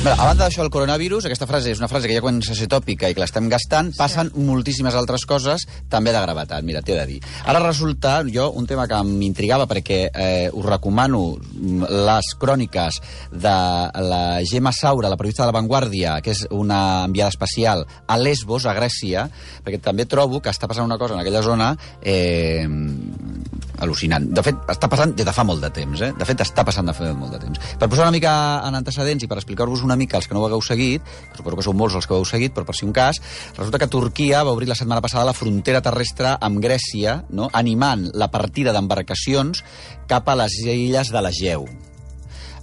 A banda d'això, el coronavirus, aquesta frase és una frase que ja comença a ser tòpica i que l'estem gastant, passen moltíssimes altres coses també de gravetat. Mira, t'he de dir. Ara resulta, un tema que m'intrigava perquè us recomano les cròniques de la Gemma Saura, la periodista de La Vanguardia, que és una enviada especial a Lesbos, a Grècia, perquè també trobo que està passant una cosa en aquella zona al·lucinant. De fet, està passant des de fa molt de temps, De fet, està passant de fa molt de temps. Per posar una mica en antecedents i per explicar-vos una mica els que no ho hagueu seguit, que suposo que sou molts els que ho heu seguit, però per si un cas, resulta que Turquia va obrir la setmana passada la frontera terrestre amb Grècia, no? Animant la partida d'embarcacions cap a les illes de l'Egeu.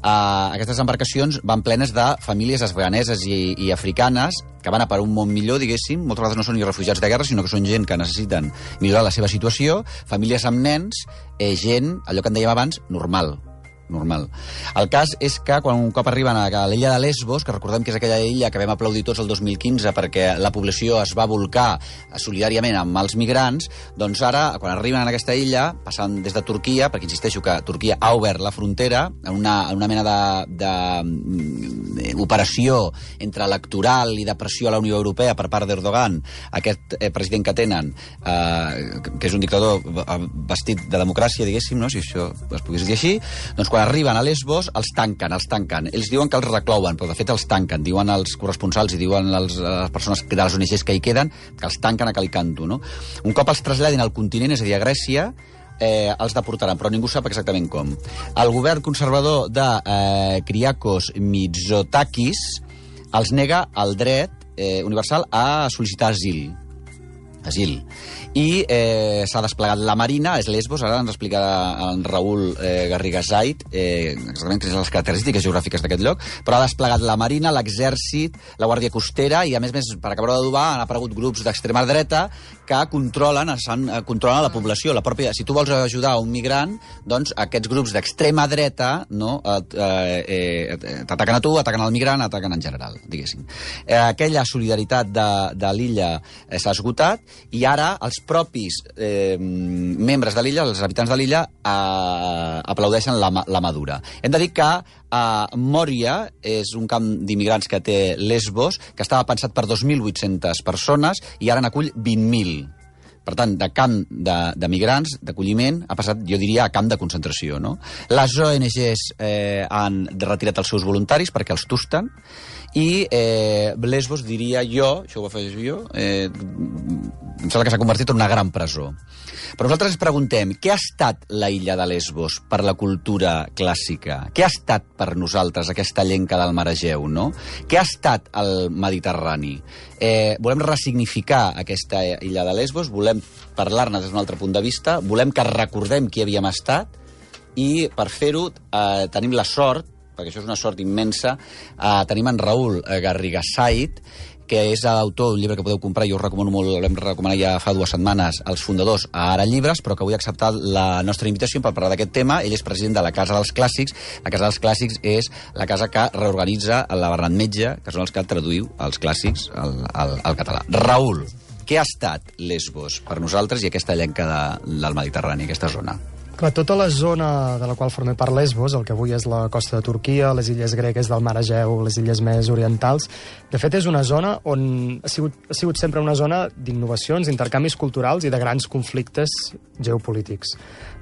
Aquestes embarcacions van plenes de famílies afganeses i africanes que van a per un món millor, diguéssim. Moltes vegades no són ni refugiats de guerra, sinó que són gent que necessiten millorar la seva situació, famílies amb nens, gent, allò que en dèiem abans, normal. El cas és que quan un cop arriben a l'illa de Lesbos, que recordem que és aquella illa que vam aplaudir tots el 2015 perquè la població es va volcar solidàriament amb els migrants, doncs ara, quan arriben a aquesta illa, passant des de Turquia, perquè insisteixo que Turquia ha obert la frontera en una mena d'operació entre electoral i de pressió a la Unió Europea per part d'Erdogan, aquest president que tenen, que és un dictador vestit de democràcia, diguéssim, no? Si això es pogués dir així, doncs quan arriben a Lesbos els tanquen. Ells diuen que els reclouen, però de fet els tanquen. Diuen els corresponsals i diuen les persones de les ONGs que hi queden que els tanquen a Calicanto, no? Un cop els traslladin al continent, és a dir, a Grècia, els deportaran, però ningú sap exactament com. El govern conservador de Kyriakos Mitsotakis els nega el dret universal a sol·licitar asil. I s'ha desplegat la Marina, és Lesbos, ara ens explicarà en Raül Garriga Zait exactament quines són les característiques geogràfiques d'aquest lloc, però ha desplegat la Marina, l'Exèrcit, la Guàrdia Costera i, a més, per acabar d'adobar, han aparegut grups d'extrema dreta que controlen la població. Si tu vols ajudar un migrant, doncs aquests grups d'extrema dreta t'ataquen a tu, ataquen al migrant, ataquen en general, diguéssim. Aquella solidaritat de l'illa s'ha esgotat i ara els propis membres de l'illa, els habitants de l'illa, aplaudeixen la madura. Hem de dir que Moria és un camp d'immigrants que té Lesbos, que estava pensat per 2.800 persones i ara n'acull 20.000. Per tant, de camp de migrants, d'acolliment, ha passat, jo diria, a camp de concentració, no? Les ONGs han retirat els seus voluntaris perquè els tusten i Lesbos, diria jo, això ho afegeixo jo, em sembla que s'ha convertit en una gran presó. Però nosaltres ens preguntem, què ha estat la illa de Lesbos per la cultura clàssica? Què ha estat per nosaltres aquesta llenca del mar Egeu, no? Què ha estat el Mediterrani? Volem ressignificar aquesta illa de Lesbos, volem parlar-ne des d'un altre punt de vista, volem que recordem qui havíem estat i per fer-ho tenim la sort, perquè això és una sort immensa, tenim en Raül Garriga Zait, que és autor d'un llibre que podeu comprar, jo us recomano molt, l'hem recomanat ja fa 2 setmanes, els fundadors a Ara Llibres, però que avui ha acceptat la nostra invitació per parlar d'aquest tema. Ell és president de la Casa dels Clàssics. La Casa dels Clàssics és la casa que reorganitza la Bernat Metge, que són els que traduïu els clàssics al català. Raül, què ha estat Lesbos per nosaltres i aquesta llenca del Mediterrani, aquesta zona? Clar, tota la zona de la qual forma part Lesbos, el que avui és la costa de Turquia, les illes gregues del mar Egeu, les illes més orientals, de fet és una zona on ha sigut sempre una zona d'innovacions, d'intercanvis culturals i de grans conflictes geopolítics.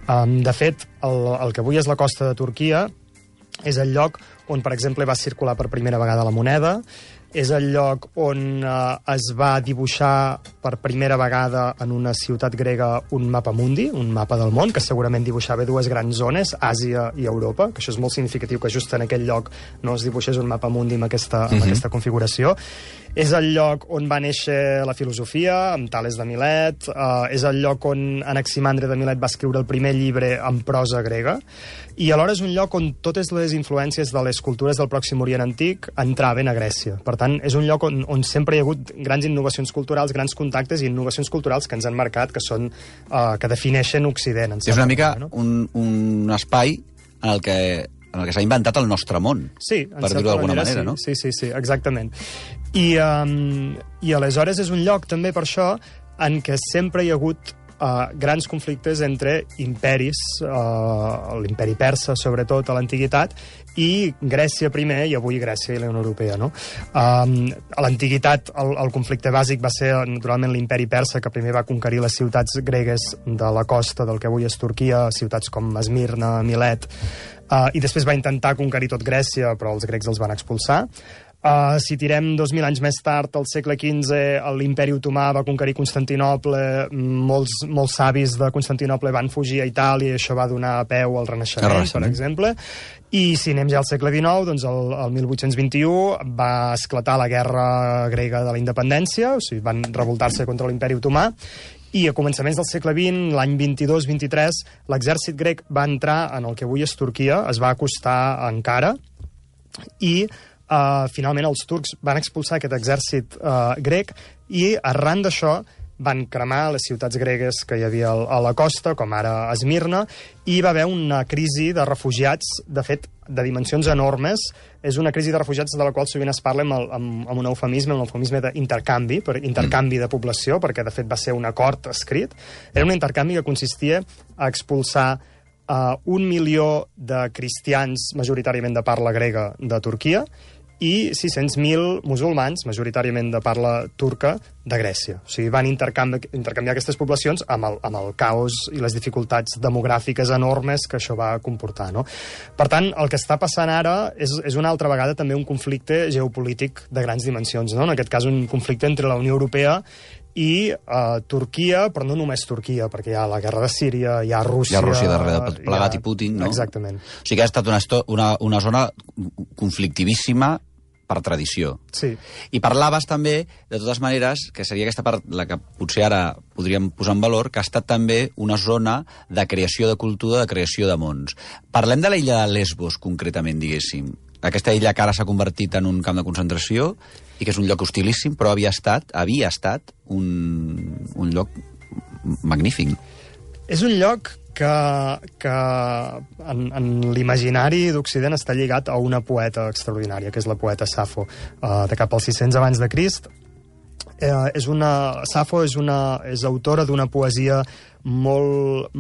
De fet, el que avui és la costa de Turquia és el lloc on, per exemple, va circular per primera vegada la moneda, és el lloc on es va dibuixar per primera vegada en una ciutat grega un mapa mundi, un mapa del món, que segurament dibuixava 2 grans zones, Àsia i Europa, que això és molt significatiu que just en aquell lloc no es dibuixés un mapa mundi amb aquesta configuració. És el lloc on va néixer la filosofia, amb Tales de Milet, és el lloc on Anaximandre de Milet va escriure el primer llibre en prosa grega, i alhora és un lloc on totes les influències de les cultures del Pròxim Orient Antic entraven a Grècia. Per tant, és un lloc on sempre hi ha hagut grans innovacions culturals, grans contactes i innovacions culturals que ens han marcat, que defineixen Occident. És una mica un espai en el que s'ha inventat el nostre món, per dir-ho d'alguna manera, no? Sí, exactament. I aleshores és un lloc, també per això, en què sempre hi ha hagut grans conflictes entre imperis, l'imperi persa, sobretot, a l'antiguitat, i Grècia primer, i avui Grècia i la Unió Europea, no? A l'antiguitat, el conflicte bàsic va ser, naturalment, l'imperi persa, que primer va conquerir les ciutats gregues de la costa del que avui és Turquia, ciutats com Esmirna, Milet, i després va intentar conquerir tot Grècia, però els grecs els van expulsar. Si tirem 2.000 anys més tard, al segle XV, l'imperi otomà va conquerir Constantinoble, molts savis de Constantinoble van fugir a Itàlia i això va donar peu al Renaixement, per exemple. I si anem ja al segle XIX, doncs el 1821 va esclatar la guerra grega de la independència, o sigui, van revoltar-se contra l'imperi otomà, i a començaments del segle XX, l'any 22-23, l'exèrcit grec va entrar en el que avui és Turquia, es va acostar a Ankara, i finalment els turcs van expulsar aquest exèrcit grec i arran d'això van cremar les ciutats gregues que hi havia a la costa, com ara Esmirna, i hi va haver una crisi de refugiats, de fet, de dimensions enormes. És una crisi de refugiats de la qual sovint es parla amb un eufemisme d'intercanvi, intercanvi de població, perquè de fet va ser un acord escrit. Era un intercanvi que consistia a expulsar 1 milió de cristians majoritàriament de parla grega de Turquia i 600.000 musulmans, majoritàriament de parla turca, de Grècia. O sigui, van intercanviar aquestes poblacions amb el caos i les dificultats demogràfiques enormes que això va comportar, no? Per tant, el que està passant ara és una altra vegada també un conflicte geopolític de grans dimensions, no? En aquest cas, un conflicte entre la Unió Europea i Turquia, però no només Turquia, perquè hi ha la guerra de Síria, hi ha Rússia... Hi ha Rússia darrere, plegat i Putin, no? Exactament. O sigui que ha estat una zona conflictivíssima per tradició. Sí. I parlaves també, de totes maneres, que seria aquesta part la que potser ara podríem posar en valor, que ha estat també una zona de creació de cultura, de creació de mons. Parlem de l'illa de Lesbos, concretament, diguéssim. Aquesta illa que ara s'ha convertit en un camp de concentració i que és un lloc hostilíssim, però havia estat un lloc magnífic. És un lloc que en l'imaginari d'Occident està lligat a una poeta extraordinària, que és la poeta Safo, de cap als 600 abans de Crist. Safo és autora d'una poesia molt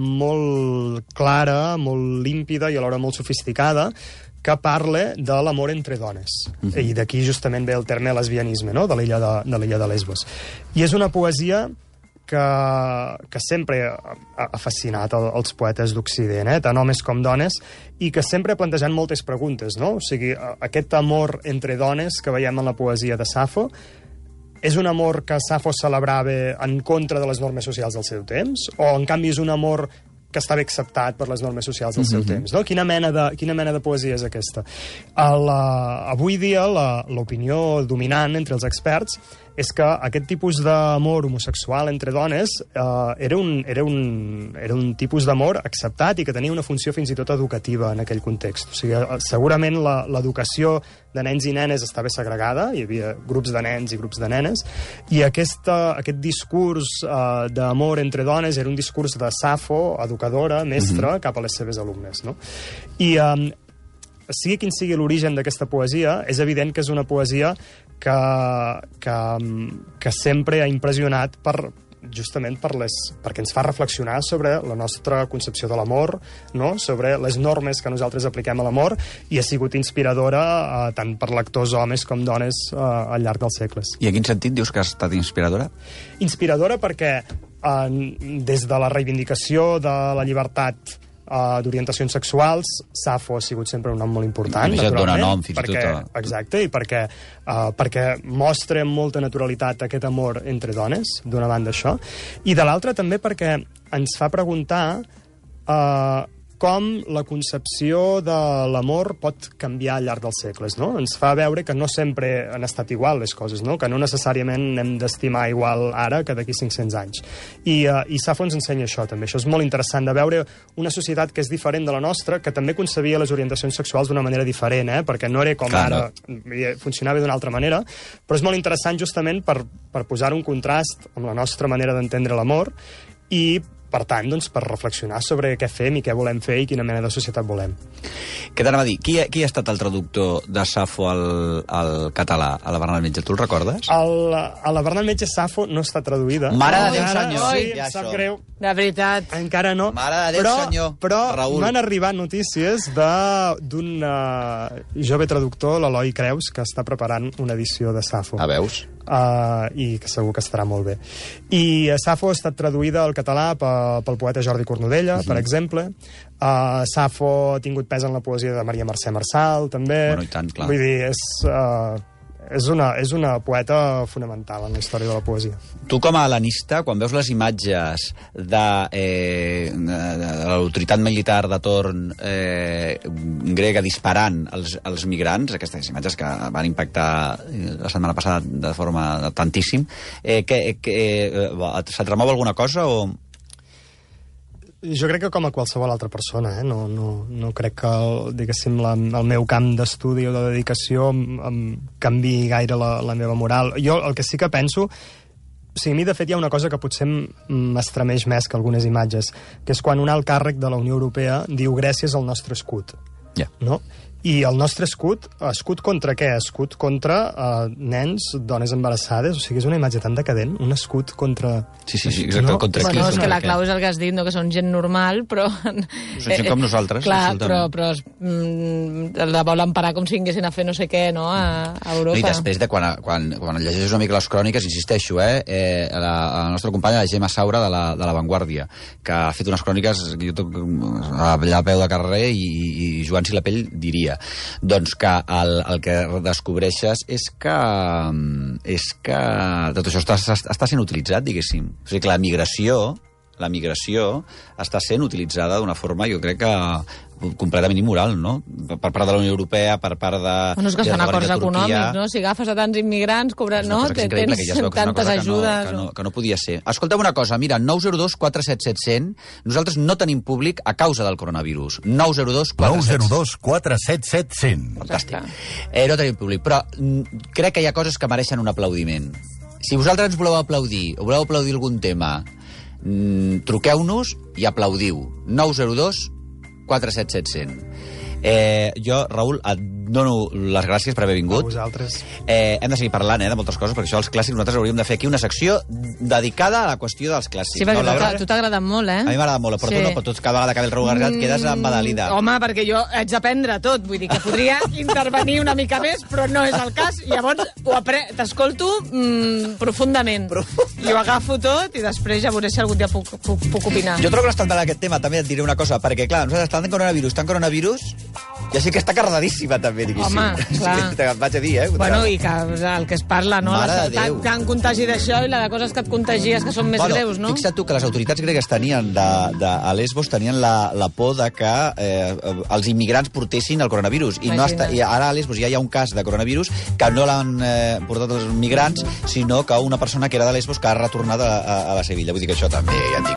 clara, molt límpida i alhora molt sofisticada, que parla de l'amor entre dones. I d'aquí justament ve el terme lesbianisme, no?, de l'illa de Lesbos. I és una poesia que sempre ha fascinat els poetes d'Occident, tant homes com dones, i que sempre ha plantejat moltes preguntes, no? O sigui, aquest amor entre dones que veiem en la poesia de Safo és un amor que Safo celebrava en contra de les normes socials del seu temps? O, en canvi, és un amor que estava acceptat per les normes socials del seu temps, no? Quina mena de poesia és aquesta? Avui dia, l'opinió dominant entre els experts és que aquest tipus d'amor homosexual entre dones era un tipus d'amor acceptat i que tenia una funció fins i tot educativa en aquell context. O sigui, segurament l'educació de nens i nenes estava segregada, hi havia grups de nens i grups de nenes, i aquest discurs d'amor entre dones era un discurs de Safo, educadora, mestra, cap a les seves alumnes, no? I sigui quin sigui l'origen d'aquesta poesia, és evident que és una poesia que sempre ha impressionat justament perquè ens fa reflexionar sobre la nostra concepció de l'amor, no?, sobre les normes que nosaltres apliquem a l'amor, i ha sigut inspiradora tant per lectors homes com dones al llarg dels segles. I en quin sentit dius que ha estat inspiradora? Inspiradora perquè des de la reivindicació de la llibertat d'orientacions sexuals, Safo ha sigut sempre un nom molt important, naturalment. Dona nom, fins i tot. Exacte, i perquè mostra amb molta naturalitat aquest amor entre dones, d'una banda això, i de l'altra també perquè ens fa preguntar com la concepció de l'amor pot canviar al llarg dels segles, no? Ens fa veure que no sempre han estat igual les coses, no? Que no necessàriament hem d'estimar igual ara que d'aquí 500 anys. I Safo ens ensenya això, també. Això és molt interessant, de veure una societat que és diferent de la nostra, que també concebia les orientacions sexuals d'una manera diferent, perquè no era com ara, funcionava d'una altra manera, però és molt interessant justament per posar un contrast amb la nostra manera d'entendre l'amor i per tant, doncs, per reflexionar sobre què fem i què volem fer i quina mena de societat volem. Què t'anava a dir? Qui ha estat el traductor de Safo al català, a la Bernat Metge? Tu el recordes? A la Bernat Metge Safo no està traduïda. Mare de Déu, senyor! Sí, Ja em sap això. greu. De veritat. Encara no. Mare de Déu, senyor. Però Raül. m'han arribat notícies d'un jove traductor, l'Eloi Creus, que està preparant una edició de Safo. Veus? I que segur que estarà molt bé. I Safo ha estat traduïda al català pel poeta Jordi Cornudella, per exemple. Safo ha tingut pes en la poesia de Maria Mercè Marçal, també. Bueno, i tant, clar. Vull dir, és una poeta fonamental en la història de la poesia. Tu, com a helenista, quan veus les imatges de l'autoritat militar de torn grega disparant els migrants, aquestes imatges que van impactar la setmana passada de forma tantíssim, se't remou alguna cosa o...? Jo crec que com a qualsevol altra persona, no crec que, diguéssim, el meu camp d'estudi o de dedicació em canviï gaire la meva moral. Jo el que sí que penso... O sigui, a mi, de fet, hi ha una cosa que potser m'estremeix més que algunes imatges, que és quan un alt càrrec de la Unió Europea diu gràcies al nostre escut. Ja. No? I el nostre escut contra què? Escut contra nens, dones embarassades, o sigui, és una imatge tan decadent, un escut contra... Sí, exacte, no? contra qui? Bueno, és que la clau és el que has dit, no? Que són gent normal, però... Són gent com nosaltres, clar, absolutament. però la volen parar com si vinguessin a fer no sé què, no?, a Europa. I després de quan llegeixes una mica les cròniques, insisteixo, la nostra companya, la Gemma Saura, de la Vanguardia, que ha fet unes cròniques allà a peu de carrer i Joan Silapell diria doncs que el que descobreixes és que tot això està sent utilitzat, diguéssim. O sigui que la migració està sent utilitzada d'una forma, jo crec que completament immoral, no? Per part de la Unió Europea, per part de... Bueno, és que es fan acords econòmics, no? Si agafes a tants immigrants, no? Tens tantes ajudes... Que no podia ser. Escolta'm una cosa, mira, 902 477 100, nosaltres no tenim públic a causa del coronavirus. 902 477 100. Fantàstic. No tenim públic, però crec que hi ha coses que mereixen un aplaudiment. Si vosaltres ens voleu aplaudir, o voleu aplaudir algun tema, truqueu-nos i aplaudiu. 902 477 100. Jo, Raül, et dono les gràcies per haver vingut. A vosaltres. Hem de seguir parlant de moltes coses, perquè això dels clàssics nosaltres hauríem de fer aquí una secció dedicada a la qüestió dels clàssics. Sí, perquè a tu t'ha agradat molt, A mi m'agrada molt, però tu no, però tu cada vegada que ve el Raül Gargat quedes embadalida. Home, perquè jo haig d'aprendre tot, vull dir que podria intervenir una mica més, però no és el cas, i llavors t'escolto profundament. I ho agafo tot i després ja veuré si algun dia puc opinar. Jo trobo que l'estat d'aquest tema, també et diré una cosa, perquè clar, nosaltres estan en coronavirus, i així que està carregadíssima també, diguéssim. Home, clar. Et vaig a dir, Bueno, i que el que es parla, no? Tant contagi d'això i la de coses que et contagies que són més greus, no? Fixa't tu que les autoritats gregues tenien a Lesbos tenien la por de que els immigrants portessin el coronavirus. I ara a Lesbos ja hi ha un cas de coronavirus que no l'han portat els migrants, sinó que una persona que era de Lesbos que ha retornat a la Sevilla. Vull dir que això també ja et dic.